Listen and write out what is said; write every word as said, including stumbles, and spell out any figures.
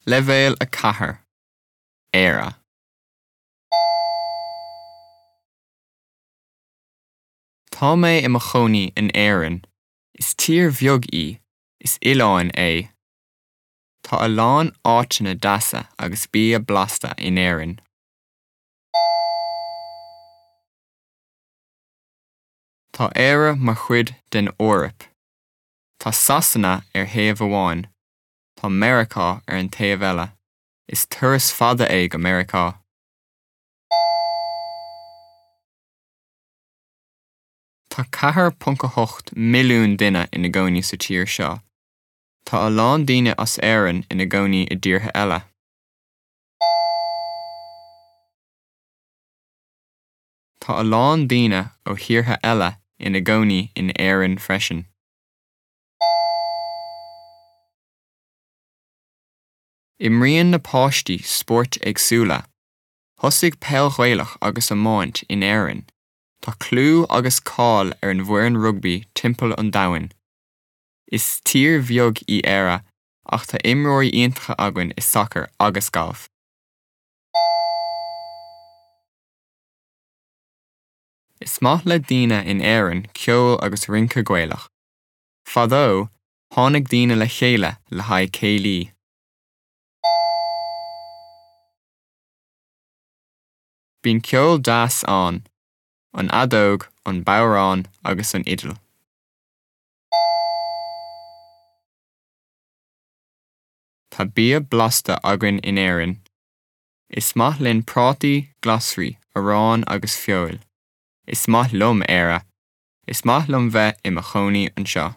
Leibhéal a ceathair Éire. Tá mé i mo chónaí in Éirinn. Is tír bheag í, is oileán é. Tá a lán áiteanna deasa agus bia blasta in Éirinn. Tá Éire mar chuid den Eoraip. Tá Sasana ar thaobh amháin, Tá Meiriceá ar an taobh eile. Is turas fada é go Meiriceá. Tá ceathair ponc a hocht milliún duine ina gcónaí sa tír seo. Tá a lán daoine as Éirinn ina gcónaí i dtíortha eile. Tá a lán daoine ó thíortha eile ina gcónaí in Éirinn freisin. Imríonn na páistí spóirt éagsúla. Thosaigh peil Ghaelach agus iomáint in Éirinn. Tá clú agus cáil ar an bhfoireann rugbaí timpeall an domhain. Is tír bheag í Éire ach tá imreoirí iontacha againn i sacar agus galf. Is maith le daoine in Éirinn ceol agus rince Gaelach. Fadó, tháinig daoine le chéile le haghaidh céilí. Bíonn ceol deas ann, an fheadóg, an bodhrán agus an fhidil. Tá bia blasta againn in Éirinn. Is maith linn prátaí, glasraí, arán agus feoil. Is maith liom Éire. Is maith liom bheith i mo chónaí anseo.